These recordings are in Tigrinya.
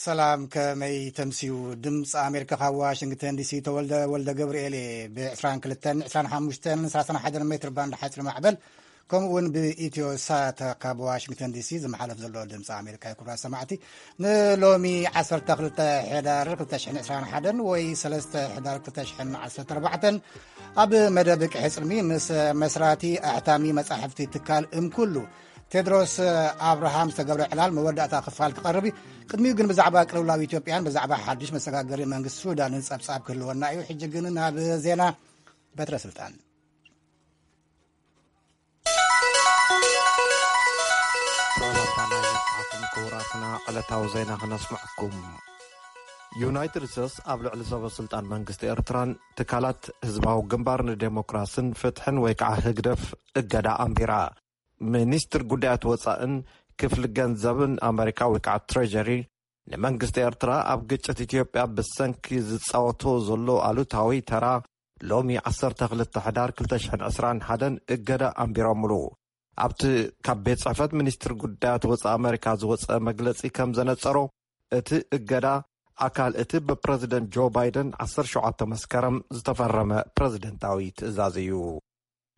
ሰላም፣ ከመይ ተምስዩ? ድምፂ ኣሜሪካ ካብ ዋሽንግተን ዲሲ ተወልደ ወልደ ገብርኤል እየ። ብ22፣ 25፣ 31 ሜትር ባንድ ሓፂር ማዕበል፣ ከምኡ እውን ብኢትዮ ሳት ካብ ዋሽንግተን ዲሲ ዝመሓለፍ ዘሎ ድምፂ ኣሜሪካ እዩ። ክቡራት ሰማዕቲ፣ ንሎሚ 12 ሕዳር 2021 ወይ 3 ሕዳር 2014 ኣብ መደብ ቅሕፅልሚ ምስ መስራቲ ኣሕታሚ መጻሕፍቲ ትካል እምኩሉ ቴድሮስ ኣብርሃም ዝተገብረ ዕላል መወዳእታ ክፋል ክቐርብ እዩ። ቅድሚኡ ግን ብዛዕባ ቅልውላው ኢትዮጵያን ብዛዕባ ሓድሽ መሰጋገሪ መንግስቲ ሱዳንን ጸብጻብ ክህልወና እዩ። ሕጂ ግን ናብ ዜና። በትረ ስልጣን። ሰላምታና ይብጻሕኩም ክቡራትና፣ ዕለታዊ ዜና ክነስምዐኩም። ዩናይትድ ስቴትስ ኣብ ልዕሊ ሰበ ስልጣን መንግስቲ ኤርትራን ትካላት ህዝባዊ ግንባር ንዴሞክራስን ፍትሕን ወይ ከዓ ህግደፍ እገዳ ኣንቢራ። ሚኒስትር ጉዳያት ወፃእን ክፍሊ ገንዘብን ኣመሪካ ወይ ከዓ ትሬጀሪ ንመንግስቲ ኤርትራ ኣብ ግጭት ኢትዮጵያ ብሰንኪ ዝፃወቶ ዘሎ ኣሉታዊ ተራ ሎሚ 12 ሕዳር 2021 እገዳ ኣንቢሮምሉ። ኣብቲ ካብ ቤት ጽሕፈት ሚኒስትር ጉዳያት ወፃኢ ኣመሪካ ዝወፀ መግለፂ ከም ዘነፀሮ፣ እቲ እገዳ ኣካል እቲ ብፕረዚደንት ጆ ባይደን 17 መስከረም ዝተፈረመ ፕረዚደንታዊ ትእዛዝ እዩ።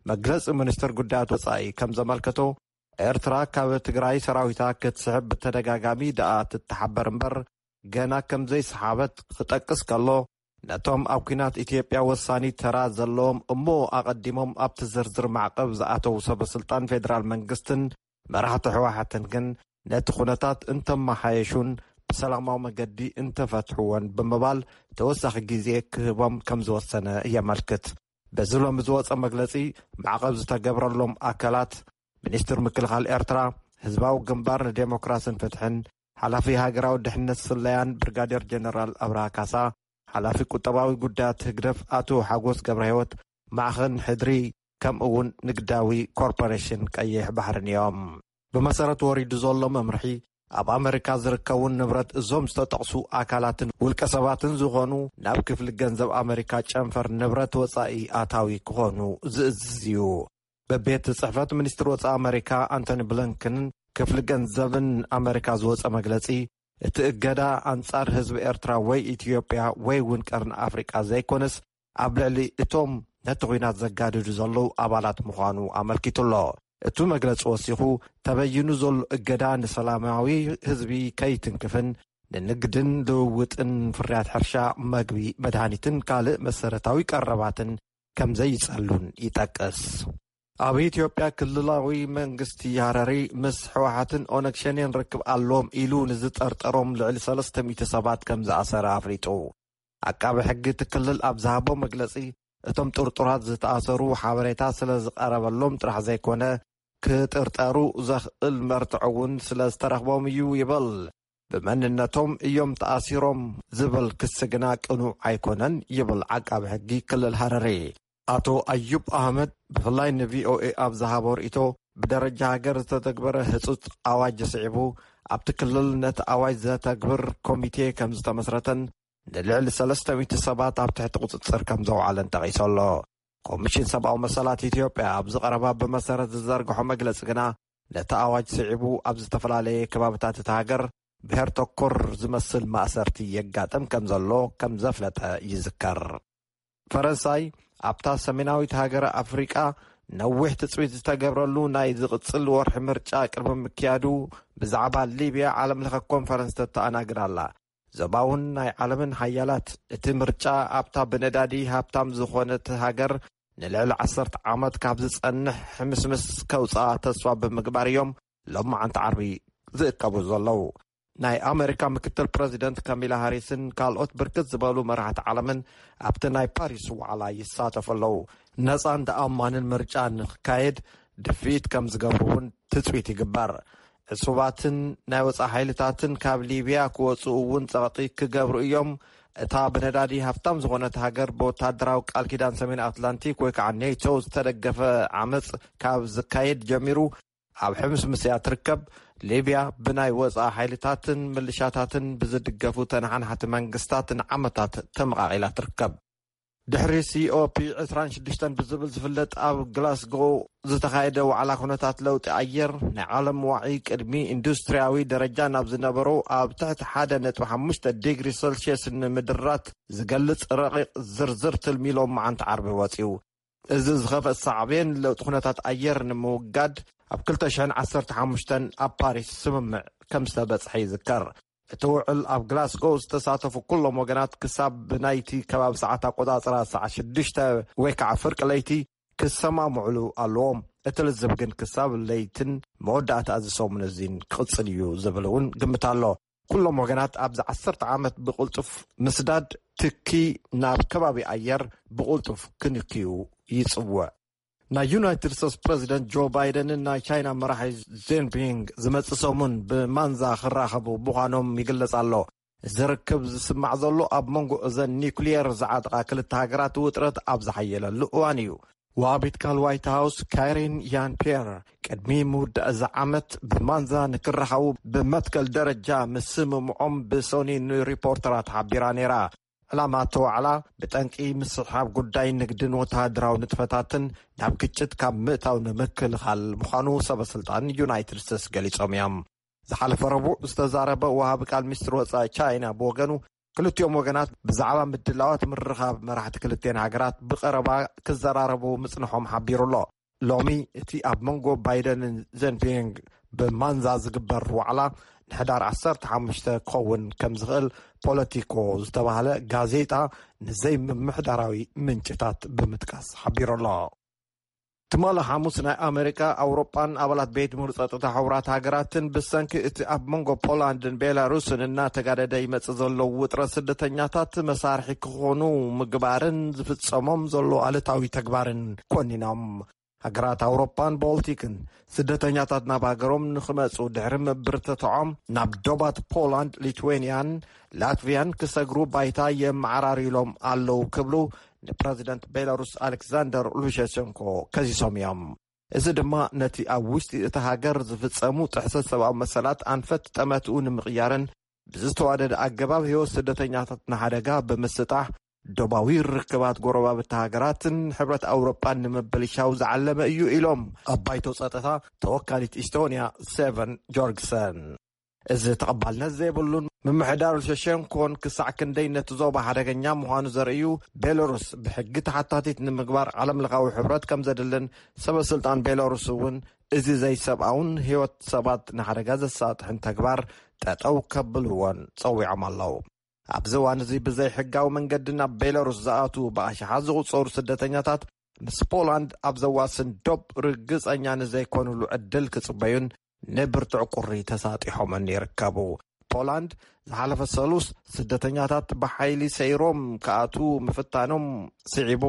መግለፂ ሚኒስትር ጉዳያት ወፃኢ ከም ዘመልከቶ፣ ኤርትራ ካብ ትግራይ ሰራዊታ ክትስሕብ ብተደጋጋሚ ደኣ ትተሓበር እምበር፣ ገና ከም ዘይሰሓበት ክጠቅስ ከሎ፣ ነቶም ኣብ ኲናት ኢትዮጵያ ወሳኒ ተራ ዘለዎም እሞ ኣቐዲሞም ኣብቲ ዝርዝር ማዕቐብ ዝኣተዉ ሰበ ስልጣን ፌደራል መንግስትን መራሕቲ ህወሓትን ግን ነቲ ኩነታት እንተመሓየሹን ብሰላማዊ መገዲ እንተፈትሕዎን ብምባል ተወሳኺ ግዜ ክህቦም ከም ዝወሰነ የመልክት። በዚ ሎሚ ዝወፀ መግለፂ፣ ማዕቐብ ዝተገብረሎም ኣካላት ሚኒስትር ምክልኻል ኤርትራ፣ ህዝባዊ ግንባር ንዴሞክራስን ፍትሕን፣ ሓላፊ ሃገራዊ ድሕነት ስለያን ብርጋዴር ጀነራል ኣብርሃ ካሳ፣ ሓላፊ ቁጠባዊ ጉዳያት ህግደፍ ኣቶ ሓጎስ ገብረ ህይወት፣ ማዕኸን ሕድሪ፣ ከምኡ እውን ንግዳዊ ኮርፖሬሽን ቀይሕ ባሕርን እዮም። ብመሰረት ወሪዱ ዘሎ መምርሒ፣ ኣብ ኣመሪካ ዝርከቡ ንብረት እዞም ዝተጠቕሱ ኣካላትን ውልቀ ሰባትን ዝኾኑ ናብ ክፍሊ ገንዘብ ኣመሪካ ጨንፈር ንብረት ወፃኢ ኣታዊ ክኾኑ ዝእዝዝ እዩ። በቤት ጽሕፈት ሚኒስትር ወፃኢ ኣመሪካ ኣንቶኒ ብሊንከንን ክፍሊ ገንዘብን ኣመሪካ ዝወፀ መግለፂ፣ እቲ እገዳ ኣንጻር ህዝቢ ኤርትራ ወይ ኢትዮጵያ ወይ እውን ቀርኒ ኣፍሪቃ ዘይኮነስ፣ ኣብ ልዕሊ እቶም ነቲ ኲናት ዘጋድዱ ዘለዉ ኣባላት ምዃኑ ኣመልኪቱ ኣሎ። እቲ መግለጺ ወሲኹ፣ ተበይኑ ዘሎ እገዳ ንሰላማዊ ህዝቢ ከይትንክፍን ንንግድን ልውውጥን ፍርያት ሕርሻ፣ መግቢ፣ መድሃኒትን ካልእ መሰረታዊ ቀረባትን ከም ዘይጸሉን ይጠቅስ። ኣብ ኢትዮጵያ ክልላዊ መንግስቲ ሃረሪ ምስ ህወሓትን ኦነግ ሸኔን ርክብ ኣለዎም ኢሉ ንዝጠርጠሮም ልዕሊ 300 ሰባት ከም ዝኣሰረ ኣፍሊጡ። ዓቃቢ ሕጊ እቲ ክልል ኣብ ዝሃቦ መግለጺ፣ እቶም ጥርጡራት ዝተኣሰሩ ሓበሬታ ስለ ዝቐረበሎም ጥራሕ ዘይኮነ፣ ክጥርጠሩ ዘኽእል መርትዖ እውን ስለ ዝተረኽቦም እዩ ይብል። ብመንነቶም እዮም ተኣሲሮም ዝብል ክሲ ግና ቅኑዕ ኣይኮነን ይብል ዓቃቢ ሕጊ ክልል ሃረሪ። ኣቶ ኣዩብ ኣህመድ ብፍላይ ንቪኦኤ ኣብ ዝሃቦ ርእይቶ፣ ብደረጃ ሃገር ዝተተግበረ ህጹጽ ኣዋጅ ስዒቡ፣ ኣብቲ ክልል ነቲ ኣዋጅ ዘተግብር ኮሚቴ ከም ዝተመስረተን ንልዕሊ 300 ሰባት ኣብ ትሕቲ ቁጽጽር ከም ዘውዓለን ጠቒሱ ኣሎ። ኮሚሽን ሰብኣዊ መሰላት ኢትዮጵያ ኣብዚ ቀረባ ብመሰረት ዝዘርግሖ መግለጺ ግና፣ ነቲ ኣዋጅ ስዒቡ ኣብ ዝተፈላለየ ከባብታት እታ ሃገር ብሄር ተኮር ዝመስል ማእሰርቲ የጋጥም ከም ዘሎ ከም ዘፍለጠ ይዝከር። ፈረንሳይ ኣብታ ሰሜናዊት ሃገር ኣፍሪቃ ነዊሕ ትጽቢት ዝተገብረሉ ናይ ዝቕጽል ወርሒ ምርጫ ቅድሚ ምክያዱ ብዛዕባ ሊብያ ዓለም ለኸ ኮንፈረንስ ተተኣናግድ ኣላ። ዞባውን ናይ ዓለምን ሃያላት እቲ ምርጫ ኣብታ ብነዳዲ ሃብታም ዝኾነት ሃገር ንልዕሊ 10 ዓመት ካብ ዝጸንሕ ሕምስምስ ከውጽኣ ተስፋ ብምግባር እዮም ሎማዓንቲ ዓርቢ ዝእከቡ ዘለዉ። ናይ ኣመሪካ ምክትል ፕረዚደንት ካሚላ ሃሪስን ካልኦት ብርክት ዝበሉ መራሕቲ ዓለምን ኣብቲ ናይ ፓሪስ ዋዕላ ይሳተፉ ኣለዉ። ነጻን ተኣማንን ምርጫ ንክካየድ ድፍኢት ከም ዝገብሩ እውን ትጽቢት ይግበር። ዕሱባትን ናይ ወጻኢ ሓይልታትን ካብ ሊብያ ክወጽኡ እውን ጸቕጢ ክገብሩ እዮም። እታ ብነዳዲ ሃብታም ዝኾነት ሃገር ብወታደራዊ ቃል ኪዳን ሰሜን ኣትላንቲክ ወይ ከዓ ኔቶ ዝተደገፈ ዓመጽ ካብ ዝካየድ ጀሚሩ ኣብ ሕምስምስ እያ ትርከብ። ሊብያ ብናይ ወጻኢ ሓይልታትን ምልሻታትን ብዝድገፉ ተነሓናሕቲ መንግስታት ንዓመታት ተመቓቒላ ትርከብ። ድሕሪ C O P ዕስራን ሽዱሽተን ብዝብል ዝፍለጥ ኣብ ግላስጎ ዝተኻየደ ዋዕላ ኩነታት ለውጢ ኣየር፣ ናይ ዓለም ዋዒ ቅድሚ ኢንዱስትሪያዊ ደረጃ ናብ ዝነበሮ ኣብ ትሕቲ ሓደ ነጥቢ ሓሙሽተ ዲግሪ ሴልሽየስ ንምድራት ዝገልጽ ረቂቕ ዝርዝር ትልሚ ሎም መዓንቲ ዓርቢ ወጺኡ። እዚ ዝኸፍአ ሳዕቤን ለውጢ ኩነታት ኣየር ንምውጋድ ኣብ ክልተ ሽሕን ዓሰርተ ሓሙሽተን ኣብ ፓሪስ ስምምዕ ከም ዝተበጽሐ ይዝከር። እቲ ውዕል ኣብ ግላስጎ ዝተሳተፉ ኩሎም ወገናት ክሳብ ብናይቲ ከባቢ ሰዓት ኣቆጻጽራ ሰዓት ሽዱሽተ ወይ ከዓ ፍርቂ ለይቲ ክሰማምዕሉ ኣለዎም። እቲ ልዝብ ግን ክሳብ ለይትን መወዳእታ እዚ ሰሙን እዚን ክቕጽል እዩ ዝብል እውን ግምት ኣሎ። ኩሎም ወገናት ኣብዚ ዓሰርተ ዓመት ብቕልጡፍ ምስዳድ ትኪ ናብ ከባቢ ኣየር ብቕልጡፍ ክንክዩ ይጽውዕ። ናይ ዩናይትድ ስቴትስ ፕረዚደንት ጆ ባይደንን ናይ ቻይና መራሒ ዜንፒንግ ዝመጽእ ሰሙን ብማንዛ ክራኸቡ ምዃኖም ይግለጽ ኣሎ። እዚ ርክብ ዝስማዕ ዘሎ ኣብ መንጎ እዘን ኒውክሊየር ዝዓጠቓ ክልተ ሃገራት ውጥረት ኣብ ዝሓየለሉ እዋን እዩ። ወሃቢት ቃል ዋይት ሃውስ ካሪን ያን ፒየር ቅድሚ ምውዳእ እዚ ዓመት ብማንዛ ንክራኸቡ ብመትከል ደረጃ ምስምምዖም ብሶኒ ንሪፖርተራት ሓቢራ ነይራ። ዕላማ እቲ ዋዕላ ብጠንቂ ምስሕሓብ ጉዳይ ንግድን ወተሃደራዊ ንጥፈታትን ናብ ግጭት ካብ ምእታው ንምክልኻል ምዃኑ ሰበ ስልጣን ዩናይትድ ስቴትስ ገሊጾም እዮም። ዝሓለፈ ረቡዕ ዝተዛረበ ወሃቢ ቃል ሚኒስትሪ ወጻኢ ቻይና ብወገኑ፣ ክልቲኦም ወገናት ብዛዕባ ምድላዋት ምርኻብ መራሕቲ ክልቲኤን ሃገራት ብቐረባ ክዘራረቡ ምጽንሖም ሓቢሩ ኣሎ። ሎሚ እቲ ኣብ መንጎ ባይደንን ዜንፒንግ ብማንዛ ዝግበር ዋዕላ ንሕዳር ዓሰርተ ሓሙሽተ ክኸውን ከም ዝኽእል ፖለቲኮ ዝተባህለ ጋዜጣ ንዘይምምሕዳራዊ ምንጭታት ብምጥቃስ ሓቢሩ ኣሎ። ትማሊ ሓሙስ ናይ ኣሜሪካ፣ ኣውሮጳን ኣባላት ቤት ምኽሪ ጸጥታ ሕቡራት ሃገራትን ብሰንኪ እቲ ኣብ መንጎ ፖላንድን ቤላሩስን እናተጋደደ ይመጽእ ዘሎ ውጥረት ስደተኛታት መሳርሒ ክኾኑ ምግባርን ዝፍጸሞም ዘሎ ኣሉታዊ ተግባርን ኮኒኖም። ሃገራት ኣውሮጳን ቦልቲክን ስደተኛታት ናብ ሃገሮም ንኽመጹ ድሕሪ ምብርትትዖም ናብ ዶባት ፖላንድ፣ ሊትዌንያን ላትቪያን ክሰግሩ ባይታ የመዓራርዩሎም ኣለዉ ክብሉ ንፕረዚደንት ቤላሩስ ኣሌክሳንደር ሉሸሸንኮ ከሲሶም እዮም። እዚ ድማ ነቲ ኣብ ውሽጢ እቲ ሃገር ዝፍጸሙ ጥሕሰት ሰብኣዊ መሰላት ኣንፈት ጠመትኡ ንምቕያርን ብዝተዋደደ ኣገባብ ህይወት ስደተኛታት ንሓደጋ ብምስጣሕ ዶባዊ ርክባት ጎረባብቲ ሃገራትን ሕብረት ኣውሮጳን ንምብልሻው ዝዓለመ እዩ ኢሎም ኣብ ባይቶ ጸጥታ ተወካሊት ኢስቶንያ ሴቨን ጆርግሰን። እዚ ተቐባልነት ዘይብሉን ምምሕዳር ሉሸሸንኮን ክሳዕ ክንደይ ነቲ ዞባ ሓደገኛ ምዃኑ ዘርእዩ ቤሎሩስ ብሕጊ ተሓታቲት ንምግባር ዓለምለኻዊ ሕብረት ከም ዘድልን ሰበ ስልጣን ቤሎሩስ እውን እዚ ዘይሰብኣውን ህይወት ሰባት ንሓደጋ ዘሳጥሕን ተግባር ጠጠው ከብልዎን ጸዊዖም ኣለዉ። ኣብዚ እዋን እዚ ብዘይ ሕጋዊ መንገዲ ናብ ቤሎሩስ ዝኣትዉ ብኣሽሓት ዝቑጸሩ ስደተኛታት ምስ ፖላንድ ኣብ ዘዋስን ዶብ ርግጸኛ ንዘይኮኑሉ ዕድል ክጽበዩን ንብርቱዕ ቁሪ ተሳጢሖምን ይርከቡ። ፖላንድ ዝሓለፈ ሰሉስ ስደተኛታት ብሓይሊ ሰይሮም ክኣትዉ ምፍታኖም ስዒቡ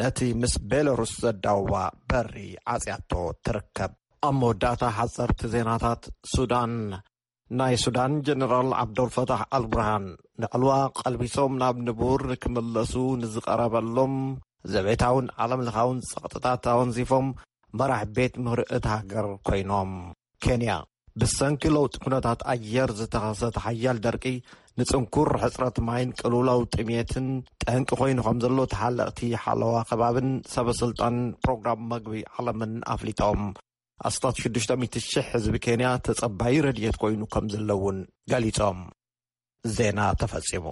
ነቲ ምስ ቤሎሩስ ዘዳውባ በሪ ዓጽያቶ ትርከብ። ኣብ መወዳእታ ሓጸርቲ ዜናታት ሱዳን። ናይ ሱዳን ጀነራል ዓብዶልፈታሕ ኣልቡርሃን ንዕልዋ ቀልቢሶም ናብ ንቡር ክምለሱ ንዝቐረበሎም ዘቤታውን ዓለምለኻውን ጸቕጥታት ኣወንዚፎም መራሕ ቤት ምኽሪ እታ ሃገር ኮይኖም። ኬንያ። ብሰንኪ ለውጢ ኩነታት ኣየር ዝተኸሰተ ሓያል ደርቂ ንጽንኩር ሕጽረት ማይን ቅልውላው ጥሜትን ጠንቂ ኮይኑ ከም ዘሎ ተሓለቕቲ ሓለዋ ከባብን ሰበ ስልጣን ፕሮግራም መግቢ ዓለምን ኣፍሊጦም። ኣስታት ሽዱሽተ ሚእቲ ሽሕ ህዝቢ ኬንያ ተጸባዪ ረድኤት ኮይኑ ከም ዘለውን ገሊጾም። ዜና ተፈጺሙ።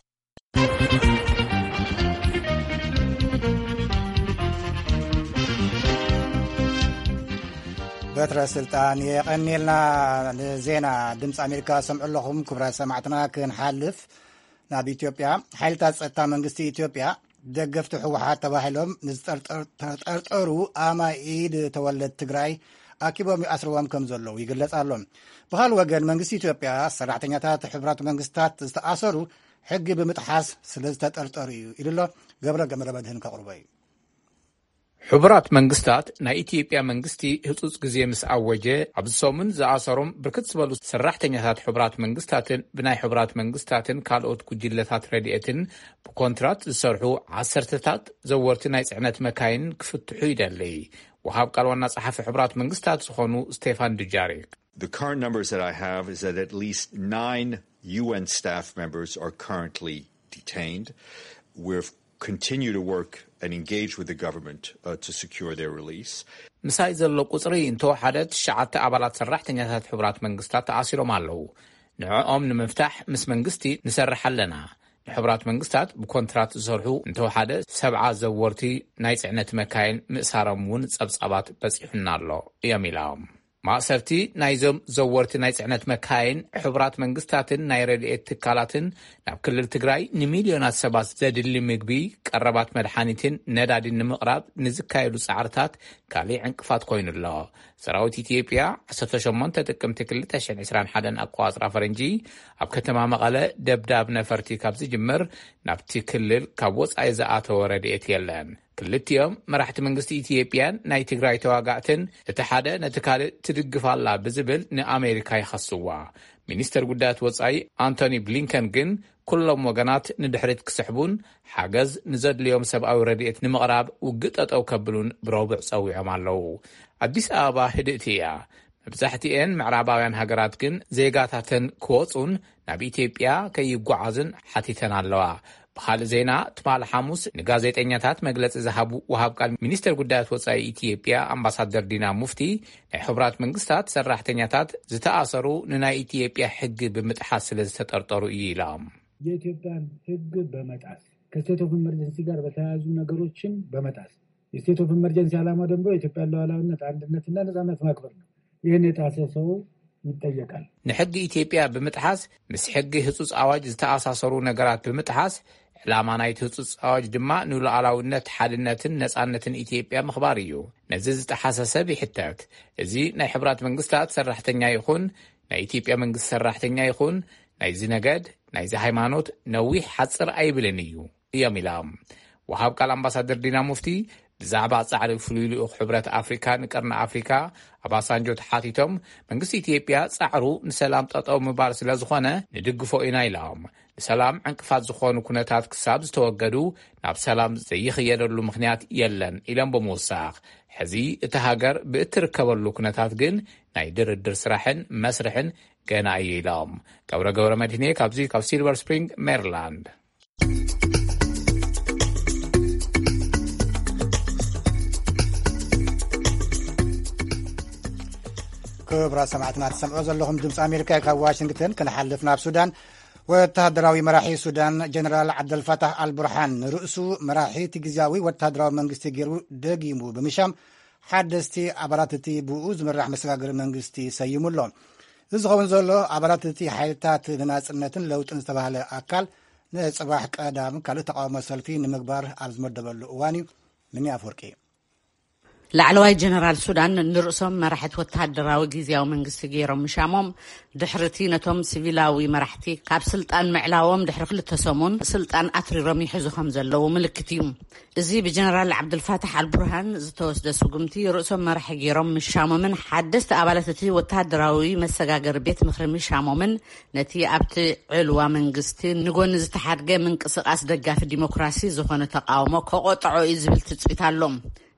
በትረ ስልጣን የቐኒልና። ንዜና ድምፂ ኣሜሪካ ሰምዑ ኣለኹም። ክቡራት ሰማዕትና፣ ክንሓልፍ ናብ ኢትዮጵያ። ሓይልታት ጸጥታ መንግስቲ ኢትዮጵያ ደገፍቲ ህወሓት ተባሂሎም ንዝጠርጠር-፣ ተጠርጠሩ ኣማኢድ ተወለድ ትግራይ ኣኪቦም ይኣስርዎም ከም ዘለዉ ይግለጽ ኣሎ። ብኻልእ ወገን መንግስቲ ኢትዮጵያ ሰራሕተኛታት ሕቡራት መንግስታት ዝተኣሰሩ ሕጊ ብምጥሓስ ስለ ዝተጠርጠሩ እዩ ኢሉ ኣሎ። ገብረ ገመረ መድህን ከቕርቦ እዩ። ሕቡራት መንግስታት ናይ ኢትዮጵያ መንግስቲ ህጹጽ ግዜ ምስ ኣወጀ ኣብዚ ሰሙን ዝኣሰሮም ብርክት ዝበሉ ሰራሕተኛታት ሕቡራት መንግስታትን ብናይ ሕቡራት መንግስታትን ካልኦት ጉጅለታት ረድኤትን ብኮንትራት ዝሰርሑ ዓሰርተታት ዘወርቲ ናይ ጽዕነት መካይን ክፍትሑ ይደሊ። ወሃብ ቃል ዋና ጸሓፊ ሕቡራት መንግስታት ዝኾኑ ስቴፋን ዱጃሪክ። The current numbers that I have is that at least nine U N staff members are currently detained. We're continue to work and engage with the government uh, to secure their release. ምሳይ ዘሎ ቁጽሪ እንተወሓደ ትሽዓተ ኣባላት ሰራሕተኛታት ሕቡራት መንግስታት ተኣሲሮም ኣለዉ። ንዕኦም ንምፍታሕ ምስ መንግስቲ ንሰርሕ ኣለና። ንሕቡራት መንግስታት ብኮንትራት ዝሰርሑ እንተወሓደ ሰብዓ ዘወርቲ ናይ ጽዕነት መካይን ምእሳሮም እውን ጸብጻባት በጺሑና ኣሎ እዮም ኢሎም። ማእሰርቲ ናይዞም ዘወርቲ ናይ ጽዕነት መካይን ሕቡራት መንግስታትን ናይ ረድኤት ትካላትን ናብ ክልል ትግራይ ንሚልዮናት ሰባት ዘድሊ ምግቢ፣ ቀረባት መድሓኒትን ነዳዲን ንምቕራብ ንዝካየዱ ጻዕርታት ካሊእ ዕንቅፋት ኮይኑ ኣሎ። ሰራዊት ኢትዮጵያ ዓሰርተ ሸሞንተ ጥቅምቲ ክልተ ሽሕን ዕስራን ሓደን ኣቆጻጽራ ፈረንጂ ኣብ ከተማ መቐለ ደብዳብ ነፈርቲ ካብ ዝጅምር ናብቲ ክልል ካብ ወጻኢ ዝኣተወ ረድኤት የለን። ክልቲኦም መራሕቲ መንግስቲ ኢትዮጵያን ናይ ትግራይ ተዋጋእትን እቲ ሓደ ነቲ ካልእ ትድግፍ ኣላ ብዝብል ንኣሜሪካ ይኸስዋ። ሚኒስተር ጉዳያት ወጻኢ ኣንቶኒ ብሊንከን ግን ኩሎም ወገናት ንድሕሪት ክስሕቡን ሓገዝ ንዘድልዮም ሰብኣዊ ረድኤት ንምቕራብ ውግእ ጠጠው ከብሉን ብረቡዕ ጸዊዖም ኣለዉ። ኣዲስ ኣበባ ህድእቲ እያ። መብዛሕትኤን ምዕራባውያን ሃገራት ግን ዜጋታተን ክወጹን ናብ ኢትዮጵያ ከይጓዓዝን ሓቲተን ኣለዋ። ብኻልእ ዜና፣ ትማሊ ሓሙስ ንጋዜጠኛታት መግለጺ ዝሃቡ ወሃብ ቃል ሚኒስተር ጉዳያት ወጻኢ ኢትዮጵያ ኣምባሳደር ዲና ሙፍቲ፣ ናይ ሕቡራት መንግስታት ሰራሕተኛታት ዝተኣሰሩ ንናይ ኢትዮጵያ ሕጊ ብምጥሓስ ስለ ዝተጠርጠሩ እዩ ኢሎም። የኢትዮጵያን ሕግ በመጣስ ከስቴት ኦፍ ኢመርጀንሲ ጋር በተያያዙ ነገሮችን በመጣስ የስቴት ኦፍ ኢመርጀንሲ ዓላማ ደግሞ የኢትዮጵያን ሉዓላዊነት፣ አንድነትና ነጻነት ማክበር ነው። ይህን የጣሰ ሰው ይጠየቃል። ንሕጊ ኢትዮጵያ ብምጥሓስ፣ ምስ ሕጊ ህጹጽ ኣዋጅ ዝተኣሳሰሩ ነገራት ብምጥሓስ፣ ዕላማ ናይቲ ህጹጽ ኣዋጅ ድማ ንሉዓላዊነት፣ ሓድነትን ነጻነትን ኢትዮጵያ ምኽባር እዩ። ነዚ ዝጠሓሰ ሰብ ይሕተት። እዚ ናይ ሕቡራት መንግስታት ሰራሕተኛ ይኹን ናይ ኢትዮጵያ መንግስቲ ሰራሕተኛ ይኹን ናይዚ ነገድ፣ ናይዚ ሃይማኖት ነዊሕ ሓጽር ኣይብልን እዩ እዮም ኢሎም። ወሃብ ቃል ኣምባሳደር ዲና ሙፍቲ ብዛዕባ ጻዕሪ ፍሉይ ልኡኽ ሕብረት ኣፍሪካ ንቀርኒ ኣፍሪካ ኣባሳንጆ ተሓቲቶም፣ መንግስቲ ኢትዮጵያ ጻዕሩ ንሰላም ጠጠው ምባል ስለ ዝኾነ ንድግፎ ኢና ኢሎም። ንሰላም ዕንቅፋት ዝኾኑ ኩነታት ክሳብ ዝተወገዱ ናብ ሰላም ዘይኽየደሉ ምኽንያት የለን ኢሎም ብምውሳኽ፣ ሕዚ እቲ ሃገር ብእትርከበሉ ኩነታት ግን ናይ ድርድር ስራሕን መስርሕን ገና እዩ ኢሎም። ገብረ ገብረ መድህኔ ካብዚ ካብ ሲልቨር ስፕሪንግ ሜሪላንድ። ክቡራት ሰማዕትና ትሰምዑ ዘለኹም ድምፂ ኣሜሪካ ካብ ዋሽንግተን። ክንሓልፍ ናብ ሱዳን። ወታደራዊ መራሒ ሱዳን ጀነራል ዓብደልፋታሕ ኣልቡርሃን ንርእሱ መራሒ እቲ ግዝያዊ ወታደራዊ መንግስቲ ገይሩ ደጊሙ ብምሻም ሓደስቲ ኣባላት እቲ ብኡ ዝምራሕ መሰጋገሪ መንግስቲ ሰይሙ ኣሎ። እዚ ዝኸውን ዘሎ ኣባላት እቲ ሓይልታት ንናጽነትን ለውጥን ዝተባህለ ኣካል ንጽባሕ ቀዳም ካልእ ተቃውሞ ሰልፊ ንምግባር ኣብ ዝመደበሉ እዋን እዩ። ሚኒ ኣፍወርቂ። ላዕለዋይ ጀነራል ሱዳን ንርእሶም መራሕቲ ወተሃደራዊ ግዝያዊ መንግስቲ ገይሮም ምሻሞም ድሕርቲ ነቶም ሲቪላዊ መራሕቲ ካብ ስልጣን ምዕላዎም ድሕሪ ክልተ ሰሙን ስልጣን ኣትሪሮም ይሕዙ ከም ዘለዉ ምልክት እዩ። እዚ ብጀነራል ዓብዱልፋታሕ ኣልቡርሃን ዝተወስደ ስጉምቲ ርእሶም መራሒ ገይሮም ምሻሞምን ሓደስቲ ኣባላት እቲ ወተሃደራዊ መሰጋገሪ ቤት ምኽሪ ምሻሞምን ነቲ ኣብቲ ዕልዋ መንግስቲ ንጎኒ ዝተሓድገ ምንቅስቃስ ደጋፊ ዲሞክራሲ ዝኾነ ተቃውሞ ከቆጥዖ እዩ ዝብል ትጽቢት ኣሎ።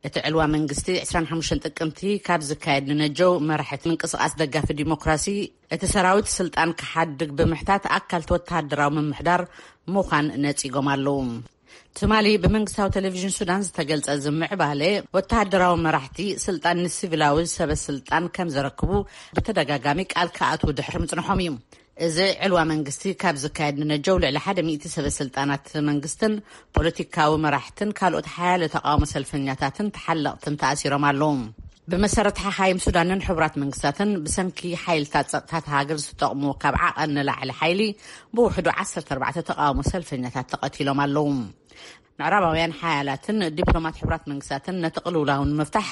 እቲ ዕልዋ መንግስቲ ዕስራን ሓሙሽተን ጥቅምቲ ካብ ዝካየድ ንነጀው መራሕቲ ምንቅስቃስ ደጋፊ ዲሞክራሲ እቲ ሰራዊት ስልጣን ክሓድግ ብምሕታት ኣካልቲ ወተሃደራዊ ምምሕዳር ምዃን ነጺጎም ኣለዉ። ትማሊ ብመንግስታዊ ቴሌቪዥን ሱዳን ዝተገልጸ እዚ ምዕባለ ወተሃደራዊ መራሕቲ ስልጣን ንሲቪላዊ ሰበ ስልጣን ከም ዘረክቡ ብተደጋጋሚ ቃል ክኣትዉ ድሕሪ ምጽንሖም እዩ። እዚ ዕልዋ መንግስቲ ካብ ዝካየድ ንነጀው ልዕሊ ሓደ ሚእቲ ሰበ ስልጣናት መንግስትን ፖለቲካዊ መራሕትን ካልኦት ሓያለ ተቃውሞ ሰልፈኛታትን ተሓለቕትን ተኣሲሮም ኣለዉ። ብመሰረት ሓኻይም ሱዳንን ሕቡራት መንግስታትን ብሰንኪ ሓይልታት ጸጥታት ሃገር ዝተጠቕሙ ካብ ዓቐን ንላዕሊ ሓይሊ ብውሕዱ ዓሰርተ ኣርባዕተ ተቃውሞ ሰልፈኛታት ተቐቲሎም ኣለዉ። ምዕራባውያን ሓያላትን ዲፕሎማት ሕቡራት መንግስታትን ነቲ ቅልውላው ንምፍታሕ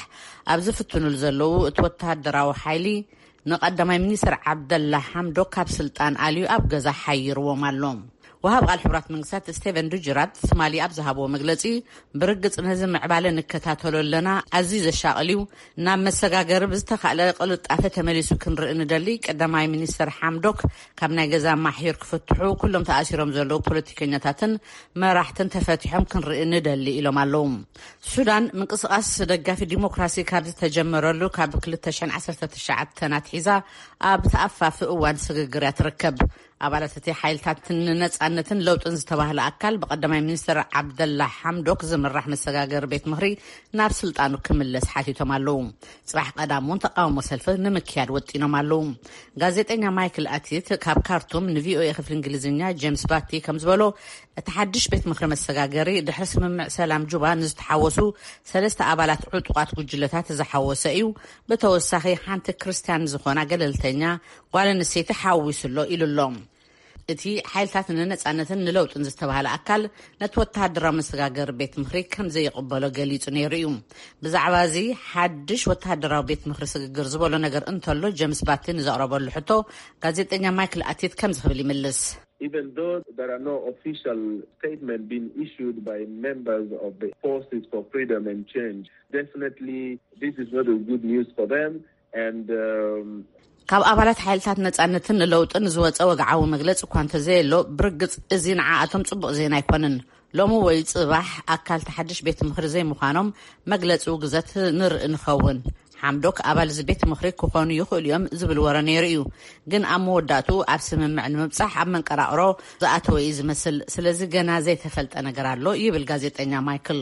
ኣብ ዝፍትኑሉ ዘለዉ እቲ ወተሃደራዊ ሓይሊ ንቀዳማይ ሚኒስትር ዓብደላ ሓምዶክ ካብ ስልጣን ኣልዩ ኣብ ገዛ ሓይርዎም ኣሎ። ወሃብ ቃል ሕቡራት መንግስታት ስቴቨን ዱጅራት ትማሊ ኣብ ዝሃብዎ መግለጺ ብርግጽ ነዚ ምዕባለ ንከታተሎ ኣለና፣ ኣዝዩ ዘሻቕል እዩ። ናብ መሰጋገሪ ብዝተኻእለ ቅልጣፈ ተመሊሱ ክንርኢ ንደሊ። ቀዳማይ ሚኒስትር ሓምዶክ ካብ ናይ ገዛ ማሕዩር ክፍትሑ፣ ኩሎም ተኣሲሮም ዘለዉ ፖለቲከኛታትን መራሕትን ተፈቲሖም ክንርኢ ንደሊ ኢሎም ኣለዉ። ሱዳን ምንቅስቃስ ደጋፊ ዲሞክራሲ ካብ ዝተጀመረሉ ካብ ክልተ ሽሕን ዓሰርተ ትሽዓተን ኣትሒዛ ኣብ ተኣፋፊ እዋን ስግግር እያ ትርከብ። ኣባላት እቲ ሓይልታትን ነጻነትን ለውጥን ዝተባህለ ኣካል ብቀዳማይ ሚኒስትር ዓብደላ ሓምዶክ ዝምራሕ መሰጋገሪ ቤት ምኽሪ ናብ ስልጣኑ ክምለስ ሓቲቶም ኣለዉ። ጽባሕ ቀዳም እውን ተቃውሞ ሰልፊ ንምክያድ ወጢኖም ኣለዉ። ጋዜጠኛ ማይክል ኣቲት ካብ ካርቱም ንቪኦኤ ክፍሊ እንግሊዝኛ ጄምስ ባቲ ከም ዝበሎ፣ እቲ ሓድሽ ቤት ምኽሪ መሰጋገሪ ድሕሪ ስምምዕ ሰላም ጁባ ንዝተሓወሱ ሰለስተ ኣባላት ዕጡቓት ጉጅለታት ዝሓወሰ እዩ። ብተወሳኺ ሓንቲ ክርስትያን ዝኾና ገለልተኛ ጓል ኣንስተይቲ ሓዊሱ ኣሎ ኢሉ ኣሎ። እቲ ሓይልታት ንነጻነትን ንለውጥን ዝተባህለ ኣካል ነቲ ወተሃደራዊ መሰጋገሪ ቤት ምኽሪ ከም ዘይቕበሎ ገሊጹ ነይሩ እዩ። ብዛዕባ እዚ ሓድሽ ወተሃደራዊ ቤት ምኽሪ ስግግር ዝበሎ ነገር እንተሎ፣ ጀምስ ባቲ ንዘቕረበሉ ሕቶ ጋዜጠኛ ማይክል ኣቲት ከምዚ ክብል ይምልስ። Even though there are no official statement being issued by members of the Forces for Freedom and Change, definitely this is not a good news for them. And um, ካብ ኣባላት ሓይልታት ነጻነትን ለውጥን ዝወጸ ወግዓዊ መግለጺ እኳ እንተዘየሎ፣ ብርግጽ እዚ ንዓኣቶም ጽቡቕ ዜና ኣይኮነን። ሎሚ ወይ ጽባሕ ኣካል ተሓድሽ ቤት ምኽሪ ዘይምዃኖም መግለጺ ውግዘት ንርኢ ንኸውን። ሓምዶክ ኣባል እዚ ቤት ምኽሪ ክኾኑ ይኽእሉ እዮም ዝብል ወረ ነይሩ እዩ። ግን ኣብ መወዳእቱ ኣብ ስምምዕ ንምብጻሕ ኣብ መንቀራቕሮ ዝኣተወ እዩ ዝመስል። ስለዚ ገና ዘይተፈልጠ ነገር ኣሎ ይብል ጋዜጠኛ ማይክል።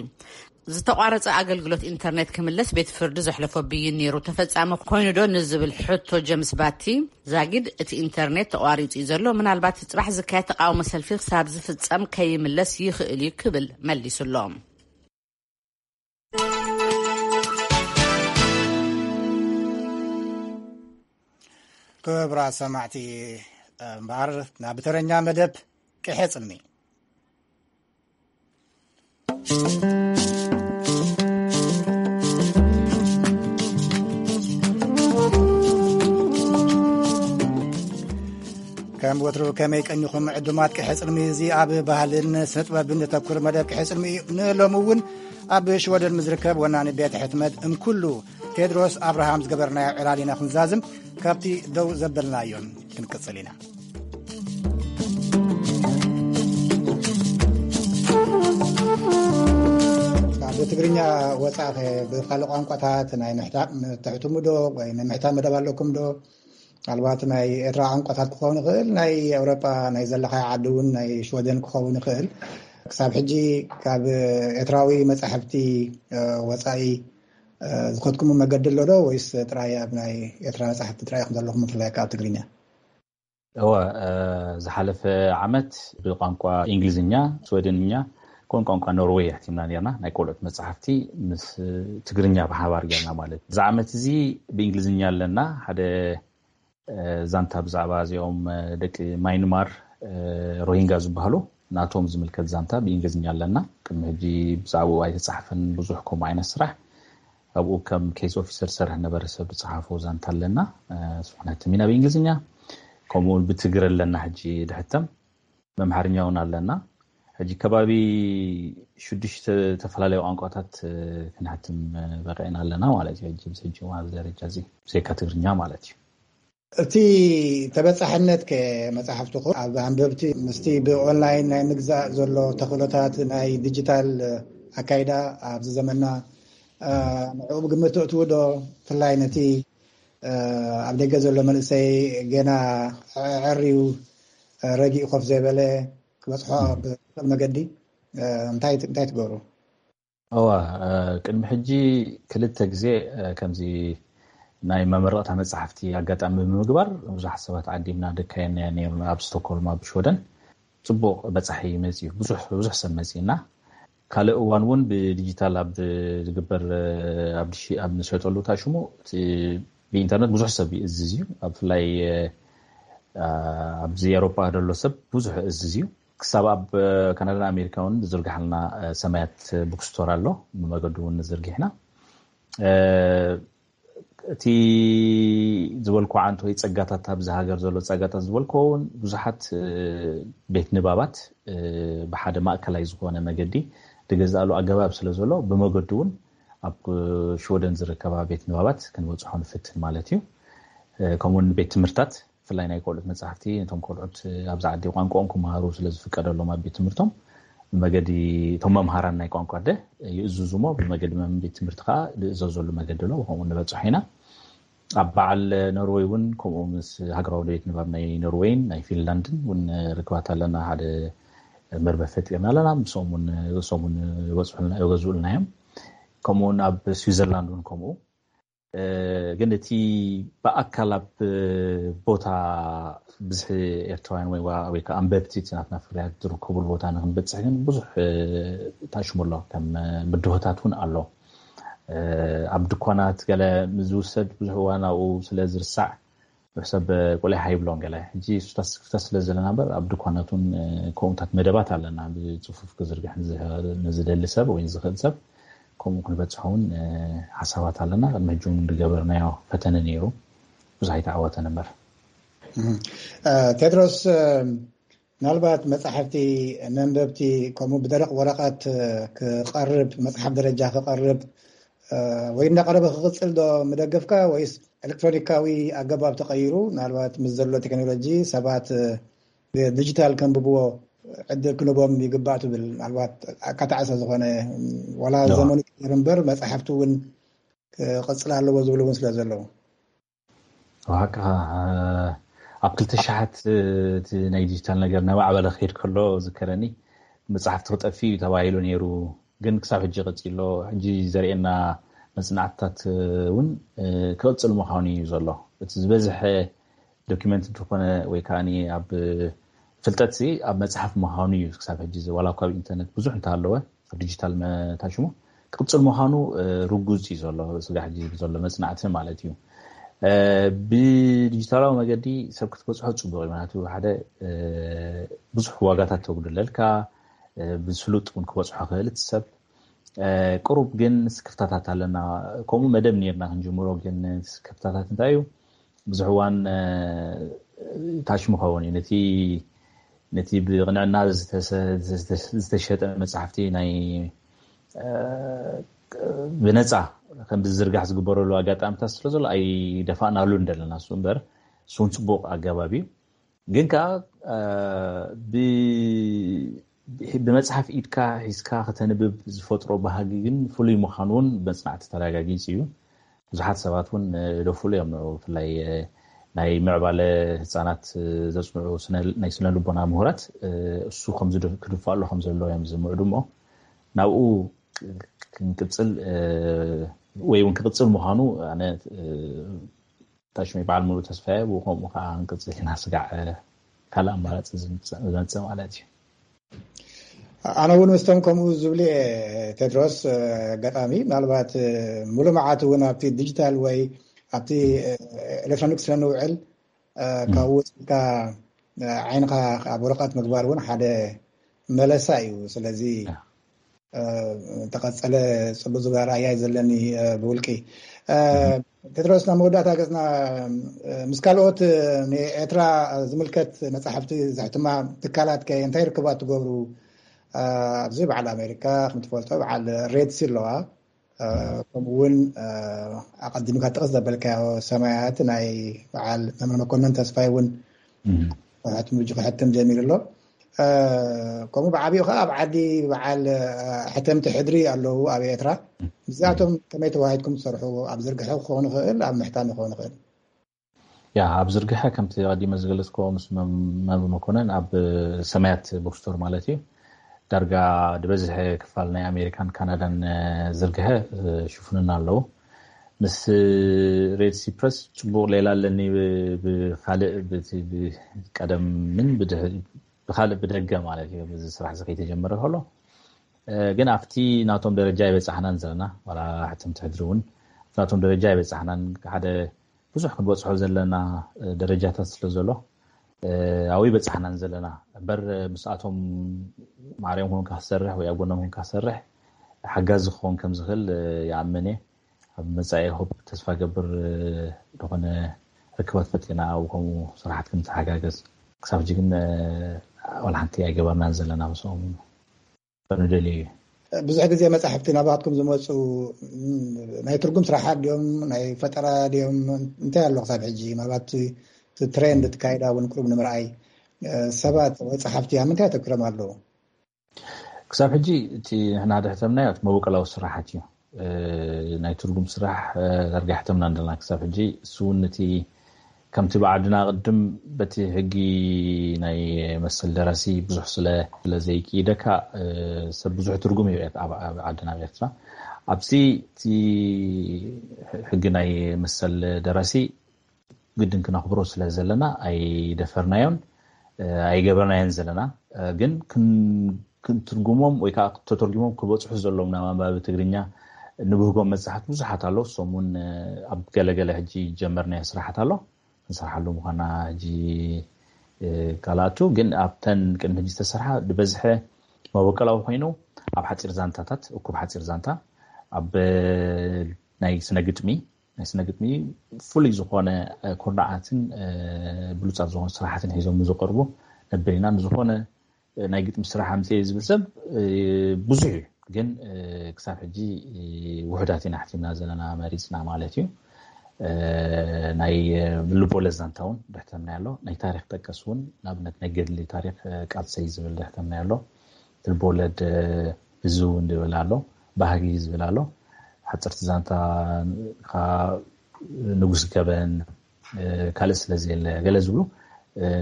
ዝተቋረጸ ኣገልግሎት ኢንተርኔት ክምለስ ቤት ፍርዲ ዘሕለፎ ብይን ነይሩ ተፈጻሚ ኮይኑ ዶ ንዝብል ሕቶ ጀምስ ባቲ፣ ዛጊድ እቲ ኢንተርኔት ተቋሪጹ እዩ ዘሎ፣ ምናልባት ጽባሕ ዝካየድ ተቃውሞ ሰልፊ ክሳብ ዝፍጸም ከይምለስ ይኽእል እዩ ክብል መሊሱሎም። ክብራ ሰማዕቲ እምበኣር ናብ ተረኛ መደብ ቅሐ ጽልሚ። ከም ወትሩ ከመይ ቀኒኹም ዕዱማት ቅሐ ጽልሚ? እዚ ኣብ ባህልን ስነ ጥበብን ዘተኩር መደብ ቅሐ ጽልሚ እዩ። ንሎሚ እውን ኣብ ሽወደን ዝርከብ ወናኒ ቤት ሕትመት እምኩሉ ቴድሮስ ኣብርሃም ዝገበርናዮ ዕላል ኢና ክንዛዝም። ካብቲ ደው ዘበልናዮን ክንቅጽል ኢና። ካብ ትግርኛ ወጻኢ ብካልእ ቋንቋታት ናይ ምሕታት ትሕትሙ ዶ ወይ ናይ ምሕታት መደብ ኣለኩም ዶ? ምናልባት ናይ ኤርትራ ቋንቋታት ክኸውን ይኽእል፣ ናይ ኤውሮጳ ናይ ዘለኻዮ ዓዲ እውን ናይ ሽወደን ክኸውን ይኽእል። ክሳብ ሕጂ ካብ ኤርትራዊ መጻሕፍቲ ወጻኢ ዝኸድኩሙ መገዲ ኣሎ ዶ ወይስ ጥራይ ኣብ ናይ ኤርትራ መጻሕፍቲ ጥራይ ኢኹም ዘለኹም ብፍላይ ካብ ትግርኛ? እወ፣ ዝሓለፈ ዓመት ብቋንቋ እንግሊዝኛ፣ ስወደንኛ፣ ከምኡውን ቋንቋ ኖርወይ ኣሕቲምና ነርና። ናይ ቆልዑት መጻሕፍቲ ምስ ትግርኛ ብሓባር ጌርና ማለት እዩ። እዚ ዓመት እዚ ብእንግሊዝኛ ኣለና። ሓደ ዛንታ ብዛዕባ እዚኦም ደቂ ማይንማር፣ ሮሂንጋ ዝበሃሉ፣ ናቶም ዝምልከት ዛንታ ብእንግሊዝኛ ኣለና። ቅድሚ ሕጂ ብዛዕባኡ ኣይተጻሕፈን ብዙሕ ከምኡ ዓይነት ስራሕ። ኣብኡ ከም ኬስ ኦፊሰር ዝሰርሕ ነበረ ሰብ ዝጸሓፎ ዛንታ ኣለና። ንሱ ክነትም ኢና ብእንግሊዝኛ። ከምኡ እውን ብትግረ ኣለና ሕጂ ድሕተም። መምሓርኛ እውን ኣለና። ሕጂ ከባቢ ሽዱሽተ ዝተፈላለዩ ቋንቋታት ክንሕትም በቂዕና ኣለና ማለት እዩ። ሕጂ ምስ ሕጂ እውን ኣብዚ ደረጃ እዚ ብዘይካ ትግርኛ ማለት እዩ። እቲ ተበጻሕነት ከ መጻሕፍትኹም ኣብ ኣንበብቲ ምስቲ ብኦንላይን ናይ ምግዛእ ዘሎ ተኽእሎታት ናይ ዲጂታል ኣካይዳ ኣብዚ ዘመንና ንዕኡ ብግምት ተእትዉ ዶ? ብፍላይ ነቲ ኣብ ደገ ዘሎ መንእሰይ ገና ኣዐርዩ ረጊኡ ኮፍ ዘይበለ ክበጽሖ ኣብ ዝኽእል መገዲ እንታይ እንታይ ትገብሩ? እዋ፣ ቅድሚ ሕጂ ክልተ ግዜ ከምዚ ናይ መመረቕታ መጻሕፍቲ ኣጋጣሚ ብምግባር ብዙሓት ሰባት ዓዲምና ደካየናዮ ነይሩና ኣብ ስቶኮልም ኣብ ሽወደን። ጽቡቕ በጻሒ መጺኡ፣ ብዙሕ ብዙሕ ሰብ መጺእና። ካልእ እዋን እውን ብዲጂታል ኣብ ዝግበር ኣብ ድሺ ኣብ ንሸጠሉ እታ ሽሙ እቲ ብኢንተርነት ብዙሕ ሰብ ይእዝዝ እዩ። ኣብ ብፍላይ ኣብዚ ኤውሮጳ ዘሎ ሰብ ብዙሕ ይእዝዝ እዩ። ክሳብ ኣብ ካናዳን ኣሜሪካ እውን ዝዝርግሓልና ሰማያት ቡክስቶር ኣሎ። ብመገዱ እውን ንዝርጊሕና እቲ ዝበልኩ ዓንቶ ወይ ጸጋታት ኣብዚ ሃገር ዘሎ ጸጋታት ዝበልኩ እውን ብዙሓት ቤት ንባባት ብሓደ ማእከላይ ዝኾነ መገዲ ዝገዝኣሉ ኣገባብ ስለ ዘሎ ብመገዱ እውን ኣብ ሽወደን ዝርከባ ቤት ንባባት ክንበጽሖ ንፍትን ማለት እዩ። ከምኡውን ቤት ትምህርታት ብፍላይ ናይ ቆልዑት መጻሕፍቲ ነቶም ቆልዑት ኣብዚ ዓዲ ቋንቋኦም ክመሃሩ ስለ ዝፍቀደሎም ኣብ ቤት ትምህርቶም ብመገዲ እቶም መምሃራን ናይ ቋንቋ ኣደ ይእዝዙ እሞ ብመገዲ መም ቤት ትምህርቲ ከኣ ዝእዘዘሉ መገዲ ኣሎ። ብኸምኡ ንበጽሖ ኢና። ኣብ በዓል ኖርወይ እውን ከምኡ ምስ ሃገራዊ ደቤት ንባብ ናይ ኖርወይን ናይ ፊንላንድን እውን ርክባት ኣለና። ሓደ መርበብ ፈጢርና ኣለና። ምስኦም እውን ርእሶም እውን ይበፅሑልና፣ ይገዝኡልና እዮም። ከምኡ እውን ኣብ ስዊዘርላንድ እውን ከምኡ። ግን እቲ ብኣካል ኣብ ቦታ ብዝሒ ኤርትራውያን ወይ ከዓ ኣንበብቲ እቲ ናትና ፍርያት ዝርከብሉ ቦታ ንክንበፅሕ ግን ብዙሕ ታሽሙ ኣሎ። ከም ብድሆታት እውን ኣሎ። ኣብ ድኳናት ገለ ዝውሰድ ብዙሕ እዋን ኣብኡ ስለ ዝርሳዕ ሰብ ቆሊዓ ይብሎም ገለ። ሕጂ ሱታት ስክፍታ ስለ ዘለና እምበር ኣብ ድኳናት እውን ከምኡታት መደባት ኣለና፣ ብፅፉፍ ክዝርግሕ ንዝደሊ ሰብ ወይ ዝኽእል ሰብ ከምኡ ክንበፅሖ እውን ሓሳባት ኣለና። ቅድሚ ሕጂ እውን ዝገበርናዮ ፈተነ ነይሩ፣ ብዙሕ ኣይተዓወተን እምበር። ቴድሮስ፣ ምናልባት መፅሓፍቲ መንበብቲ ከምኡ ብደረቕ ወረቐት ክቐርብ፣ መፅሓፍ ደረጃ ክቐርብ ወይ እናቐረበ ክቕፅል ዶ ምደገፍካ፣ ወይስ ኤሌክትሮኒካዊ ኣገባብ ተቐይሩ ምናልባት ምስ ዘሎ ቴክኖሎጂ ሰባት ብዲጂታል ከንብብዎ ዕድል ክንቦም ይግባእ ትብል? ምናልባት ኣካታዕሰ ዝኾነ ዋላ ዘመኑ ይቀየር እምበር መፅሓፍቲ እውን ክቕፅል ኣለዎ ዝብሉ እውን ስለ ዘለዉ። ዋካ ኣብ ክልተ ሸሓት እቲ ናይ ዲጂታል ነገር እናማዕበለ ክሄድ ከሎ ዝከረኒ፣ መፅሓፍቲ ክጠፊ እዩ ተባሂሉ ነይሩ። ግን ክሳብ ሕጂ ቀፂሎ። ሕጂ ዘርእየና መፅናዕትታት እውን ክቕፅል ምዃኑ እዩ ዘሎ። እቲ ዝበዝሐ ዶኪመንት እንተኾነ ወይ ከዓ ኣብ ፍልጠት ኣብ መፅሓፍ ምዃኑ እዩ ክሳብ ሕጂ፣ ዋላ እኳ ኣብ ኢንተርነት ብዙሕ እንተሃለወ፣ ኣብ ዲጂታል መታሽሙ ክቕፅል ምዃኑ ርጉፅ እዩ ዘሎ። ስጋ ሕጂ ዘሎ መፅናዕቲ ማለት እዩ። ብዲጂታላዊ መገዲ ሰብ ክትበፅሖ ፅቡቅ እዩ። ምክንያቱ ሓደ ብዙሕ ዋጋታት ተጉድለልካ፣ ብስሉጥ እውን ክበፅሖ ክእል እቲ ሰብ። ቅሩብ ግን ስክፍታታት ኣለና። ከምኡ መደብ ነርና ክንጅምሮ፣ ግን ስክፍታታት እንታይ እዩ? ብዙሕ እዋን ታሽሙ ኸውን እዩ። ነቲ ነቲ ብቕንዕና ዝተሸጠ መፅሓፍቲ ናይ ብነፃ ከም ዝዝርጋሕ ዝግበረሉ ኣጋጣሚታት ስለ ዘሎ ኣይደፋእናሉን ዘለና። እሱ እምበር እሱ እውን ፅቡቕ ኣገባብ እዩ። ግን ከዓ ብመፅሓፍ ኢድካ ሒዝካ ከተንብብ ዝፈጥሮ ባህጊ ግን ፍሉይ ምዃኑ እውን መፅናዕቲ ተረጋጊፁ እዩ። ብዙሓት ሰባት እውን ደፍሉ እዮም። ብፍላይ ናይ ምዕባለ ህፃናት ዘፅንዑ ናይ ስነ ልቦና ምሁራት እሱ ክድፋ ኣሎ ከም ዘለዎ እዮም ዝምዕዱ። እሞ ናብኡ ክንቅፅል ወይ እውን ክቅፅል ምዃኑ ኣነ ታሽመይ በዓል ሙሉእ ተስፋ እየ። ብኡ ከምኡ ከዓ ክንቅፅል ኢና። ስጋዕ ካልእ ኣማራፂ ዝመፅእ ማለት እዩ። ኣነ እውን ምስቶም ከምኡ ዝብሉ እየ ቴድሮስ። ኣጋጣሚ ምናልባት ሙሉ መዓት እውን ኣብቲ ዲጂታል ወይ ኣብቲ ኤሌክትሮኒክስ ስለንውዕል ካብ ውፅኢትካ ዓይንካ ኣብ ወረቀት ምግባር እውን ሓደ መለሳ እዩ። ስለዚ ተቐፀለ ፅቡቅ ዝብል ኣረኣእያ እዩ ዘለኒ ብውልቂ። ቴድሮስ፣ ናብ መወዳእታ ገፅና ምስ ካልኦት ንኤርትራ ዝምልከት መፅሓፍቲ ዘሕትማ ትካላት ከ እንታይ ርክባት ትገብሩ? ኣብዚ በዓል ኣሜሪካ ከም ትፈልጦ በዓል ሬድሲ ኣለዋ። ከምኡ እውን ኣቐዲምካ ጥቕስ ዘበልካዮ ሰማያት ናይ በዓል መምህር መኮነን ተስፋይ እውን ሕትም ጀሚሩ ኣሎ። ከምኡ ብዓቢኡ ከዓ ኣብ ዓዲ በዓል ሕተምቲ ሕድሪ ኣለዉ ኣብ ኤርትራ። ምስዚኣቶም ከመይ ተዋሂድኩም ትሰርሑ? ኣብ ዝርግሐ ክኸውን ይኽእል፣ ኣብ ምሕታም ክኸውን ይኽእል። ያ ኣብ ዝርግሐ ከምቲ ቀዲመ ዝገለፅኮ ምስ መምህር መኮነን ኣብ ሰማያት ቡክስቶር ማለት እዩ። ዳርጋ ዝበዝሐ ክፋል ናይ ኣሜሪካን ካናዳን ዝርግሐ ሽፉንና ኣለዉ። ምስ ሬድሲ ፕረስ ፅቡቕ ሌላ ኣለኒ። ብካልእ ቀደምን ብድሕሪ ብካልእ ብደገ ማለት እዩ። እዚ ስራሕ እዚ ከይተጀመረ ከሎ ግን ኣብቲ ናቶም ደረጃ ኣይበፃሕናን ዘለና። ዋላ ሕትምቲ ሕድሪ እውን ኣብቲ ናቶም ደረጃ ኣይበፃሕናን። ሓደ ብዙሕ ክንበፅሖ ዘለና ደረጃታት ስለ ዘሎ ኣብኡ ኣይበፃሕናን ዘለና። እምበር ምስኣቶም ማዕሪኦም ኮንካ ክሰርሕ ወይ ኣብ ጎኖም ኮንካ ክሰርሕ ሓጋዚ ክኸውን ከም ዝኽእል ይኣምን እየ። ኣብ መፃኢ ሆፕ ተስፋ ገብር ዝኾነ ርክባት ፈጢርና ኣብኡ ከምኡ ስራሓት ክንተሓጋገዝ። ክሳብ ሕጂ ግን ዋላ ሓንቲ ኣይገበርናን ዘለና ምስኦም። ንደልዩ እዩ። ብዙሕ ግዜ መፃሕፍቲ ናባትኩም ዝመፁ ናይ ትርጉም ስራሓት ድዮም ናይ ፈጠራ ድዮም እንታይ ኣሎ ክሳብ ሕጂ? ምናልባት ትሬንድ ትካይዳ እውን ቅሩብ ንምርኣይ ሰባት ወይ ፀሓፍቲ ኣብ ምንታይ ኣተኪሮም ኣለዉ? ክሳብ ሕጂ እቲ ንሕና ድሕተምናዮ እቲ መበቀላዊ ስራሓት እዩ። ናይ ትርጉም ስራሕ ዳርጋ ሕተምና እንደና ክሳብ ሕጂ። እሱ እውን እቲ ከምቲ ብዓድና ቅድም በቲ ሕጊ ናይ መሰል ደራሲ ብዙሕ ስለ ዘይክኢደካ ሰብ ብዙሕ ትርጉም ይብዕት ኣብ ዓድና ኣብ ኤርትራ። ኣብዚ እቲ ሕጊ ናይ መሰል ደራሲ ግድን ክነኽብሮ ስለ ዘለና ኣይደፈርናዮን ኣይገበርናዮን ዘለና። ግን ክትርጉሞም ወይ ከዓ ተተርጉሞም ክበፅሑ ዘለዎም ናብ ኣንባቢ ትግርኛ ንብህጎም መፅሓፍቲ ብዙሓት ኣለዉ። እሶም እውን ኣብ ገለገለ ሕጂ ጀመርናዮ ስራሓት ኣሎ፣ ንሰርሓሉ ምዃና ሕጂ ካልኣቱ። ግን ኣብተን ቅድሚ ሕጂ ዝተሰርሓ ዝበዝሐ መበቀላዊ ኮይኑ ኣብ ሓፂር ዛንታታት፣ እኩብ ሓፂር ዛንታ፣ ኣብ ናይ ስነ ግጥሚ ናይ ስነ ግጥሚ ፍሉይ ዝኾነ ኩርናዓትን ብሉፃት ዝኾኑ ስራሓትን ሒዞም ዝቐርቡ ነበር ኢና። ንዝኾነ ናይ ግጥሚ ስራሕ ኣምፅእ ዝብል ሰብ ብዙሕ እዩ፣ ግን ክሳብ ሕጂ ውሕዳት ኢና ሕቲምና ዘለና፣ መሪፅና ማለት እዩ። ናይ ልቦለድ ዛንታ እውን ደሕተምና ኣሎ። ናይ ታሪክ ጠቀስ እውን፣ ንኣብነት ናይ ገድሊ ታሪክ ቃልሰይ ዝብል ደሕተምና ኣሎ። ልቦለድ እዚ እውን ዝብል ኣሎ፣ ባህጊ ዝብል ኣሎ። ሓፀርቲ ዛንታ ንጉስ ገበን፣ ካልእ ስለ ዘየለ ገለ ዝብሉ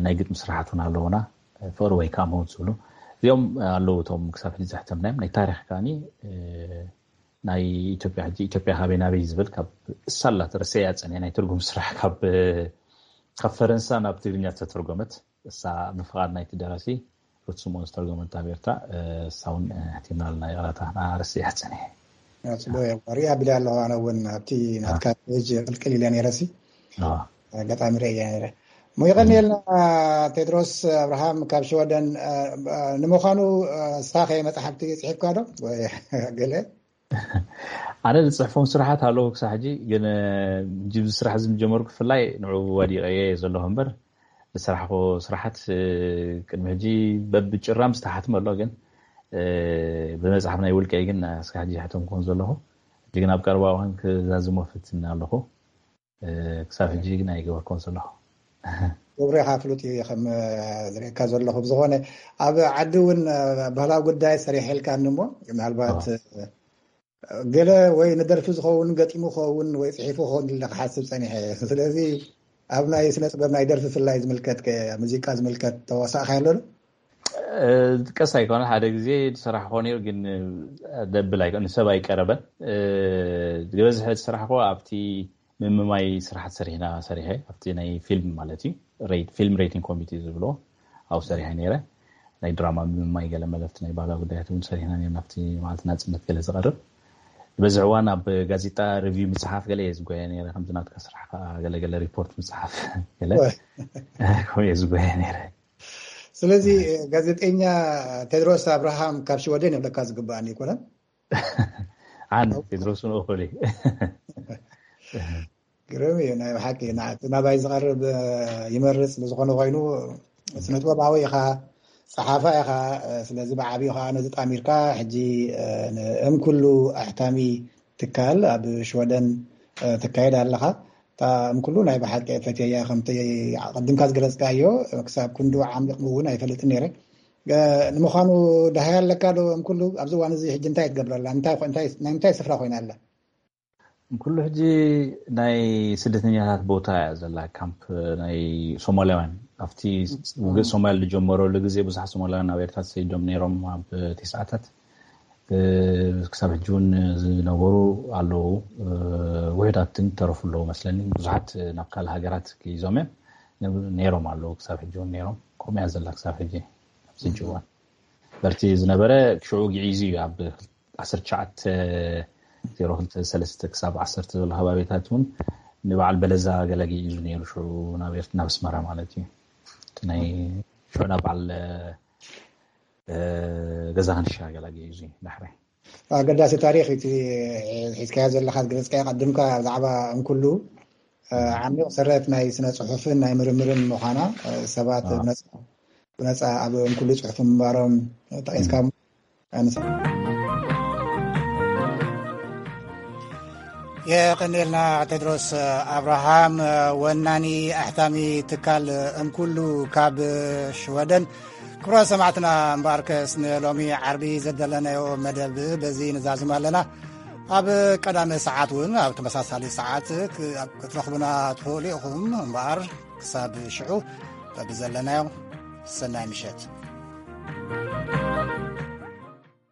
ናይ ግጥሚ ስራሓት እውን ኣለውና። ፍቅሪ ወይ ከዓ መውት ዝብሉ እዚኦም ኣለዉ። እቶም ክሳብ ሕጂ ዘሕተምናዮም ናይ ታሪክ ከዓኒ ናይ ኢትዮጵያ ሕጂ ኢትዮጵያ ካበይ ናበይ ዝብል ካብ ሳላት ረሰያ ፀኒሐ ናይ ትርጉም ስራሕ ካብ ካብ ፈረንሳ ናብ ትግርኛ ዝተተርጎመት እሳ ብፍቓድ ናይቲ ደራሲ ሩት ስምኦን ዝተርጎመት ኣብ ኤርትራ እሳ እውን ሕቲምና ኣለና። ይቕረታ ንዓ ረሲያ ፀኒሐ። ፅቡቅ እዮም። ሪኣ ቢለ ኣለኹ ኣነ እውን ኣብቲ ናትካ ፔጅ ቅልቅል ኢለ ነይረሲ ኣጋጣሚ ርእያ ነይረ። እሞ ይቐንየልና ቴድሮስ ኣብርሃም ካብ ሽወደን። ንምዃኑ ሳኸ መፅሓፍቲ ፅሒፍካ ዶ ወይ ገለ? ኣነ ዝፅሕፎም ስራሓት ኣለዉ ክሳብ ሕጂ፣ ግን ሕጂ ስራሕ ዝጀመርኩ ብፍላይ ንዑ ወዲቐየ ዘለኹ እምበር ዝሰራሕኮ ስራሓት ቅድሚ ሕጂ በብጭራም ዝተሓትመ ኣሎ፣ ግን ብመፅሓፍ ናይ ውልቀይ ግን እስካ ሕጂ ይሕተምኩን ዘለኹ። ሕጂ ግን ኣብ ቀረባ እዋን ክዛዝሞ ፍትን ኣለኹ። ክሳብ ሕጂ ግን ኣይገበርኮን ዘለኹ። ክብሬኻ ፍሉጥ እዩ ከም ዝርእካ ዘለኹ። ብዝኾነ ኣብ ዓዲ እውን ባህላዊ ጉዳይ ሰሪሐልካ እሞ ምናልባት ገለ ወይ ንደርፊ ዝኸውን ገጢሙ ኸውን ወይ ፅሒፉ ኸውን ኢለ ክሓስብ ፀኒሐ። ስለዚ ኣብ ናይ ስነ ጥበብ ናይ ደርፊ ፍላይ ዝምልከት ሙዚቃ ዝምልከት ተዋሳእካ ኣሎ? ቀስ ኣይኮነ ሓደ ግዜ ዝሰራሕኮ ነይሩ፣ ግን ደብል ኣይኮነ ንሰብ ኣይቀረበን። ዝበዝሐ ዝሰራሕኮ ኣብቲ ምምማይ ስራሓት ሰሪሕና ሰሪሐ ኣብቲ ናይ ፊልም ማለት እዩ ፊልም ሬቲንግ ኮሚቴ ዝብሎ ኣብኡ ሰሪሐ ነይረ። ናይ ድራማ ምምማይ ገለ መለፍቲ ናይ ባህላዊ ጉዳያት እውን ሰሪሕና ነርና ኣብቲ መዓልቲ ናፅነት ገለ ዝቐርብ። ዝበዝሕ እዋን ኣብ ጋዜጣ ሪቪው ምፅሓፍ ገለ እየ ዝጎየ ነይረ። ከምዚ ናትካ ስራሕ ከዓ ገለገለ ሪፖርት ምፅሓፍ ገለ ከምኡ እየ ዝጎየ ነይረ። ስለዚ ጋዜጠኛ ቴድሮስ ኣብርሃም ካብ ሽወደን ይብለካ ዝግባኣኒ ይኮነን? ኣነ ቴድሮስ እውን እኹል እዩ። ግርም እዩ ናይ ብሓቂ። ናባይ ዝቐርብ ይመርፅ ብዝኾነ ኮይኑ ስነጥበባዊ ኢኻ፣ ፀሓፋ ኢኻ። ስለዚ ብዓብዩ ከዓ ነዚ ጣሚርካ ሕጂ ንእም ኩሉ ኣሕታሚ ትካል ኣብ ሽወደን ትካየድ ኣለኻ። እም ኩሉ ናይ ብሓቂ ፈትየያ ከምቲ ቅድምካ ዝገለፅካዮ ክሳብ ክንዱ ዓሚቕ እውን ኣይፈልጥን ነይረ። ንምዃኑ ደሃይ ኣለካ ዶ እም ኩሉ ኣብዚ እዋን እዚ ሕጂ እንታይ ትገብረላ? ናይ ምንታይ ስፍራ ኮይና ኣላ? ኩሉ ሕጂ ናይ ስደተኛታት ቦታ እያ ዘላ፣ ካምፕ ናይ ሶማላውያን። ኣብቲ ውግእ ሶማል ዝጀመረሉ ግዜ ብዙሓት ሶማላውያን ኣብ ኤርትራ ተሰዲዶም ነይሮም ኣብ ቴስዓታት። ክሳብ ሕጂ እውን ዝነበሩ ኣለዉ። ውሕዳት ግን ተረፉ ኣለዉ መስለኒ። ብዙሓት ናብ ካልእ ሃገራት ክይዞም እዮም ነይሮም ኣለዉ። ክሳብ ሕጂ እውን ነይሮም። ከምኡ እያ ዘላ ክሳብ ሕጂ ኣብዚ ሕጂ እዋን። በርቲ ዝነበረ ሽዑ ግዒዙ እዩ ኣብ ዓሰርተ ትሽዓተ ዜሮ ክልተ ሰለስተ ክሳብ ዓሰርተ ዘሎ ከባቢታት እውን ንበዓል በለዛ ገለ ግዒዙ ነይሩ ሽዑ ናብ ኤርት ናብ ኣስመራ ማለት እዩ። እቲ ናይ ሽዑ ናብ በዓል ገዛ ክንሻ ገለ ግዒዙ እዩ ዳሕራይ። ኣገዳሲ ታሪክ እቲ ሒዝካዮ ዘለካ ዝገለፅካዮ ቀድምካ ብዛዕባ እንኩሉ ዓሚቕ ሰረት ናይ ስነ ፅሑፍን ናይ ምርምርን ምዃና ሰባት ብነፃ ኣብ እንኩሉ ፅሑፍ ምንባሮም ጠቂስካ የቐንየልና ቴድሮስ ኣብርሃም ወናኒ ኣሕታሚ ትካል እንኩሉ ካብ ሽወደን። ክቡራት ሰማዕትና እምበኣርከስ ንሎሚ ዓርቢ ዘደለናዮ መደብ በዚ ንዛዝም ኣለና። ኣብ ቀዳመ ሰዓት እውን ኣብ ተመሳሳሊ ሰዓት ክ-፣ ኣብ ክትረኽቡና ትኽእሉ ኢኹም። እምበኣር ክሳብ ሽዑ፣ በብዘለናዮ ሰናይ ምሸት።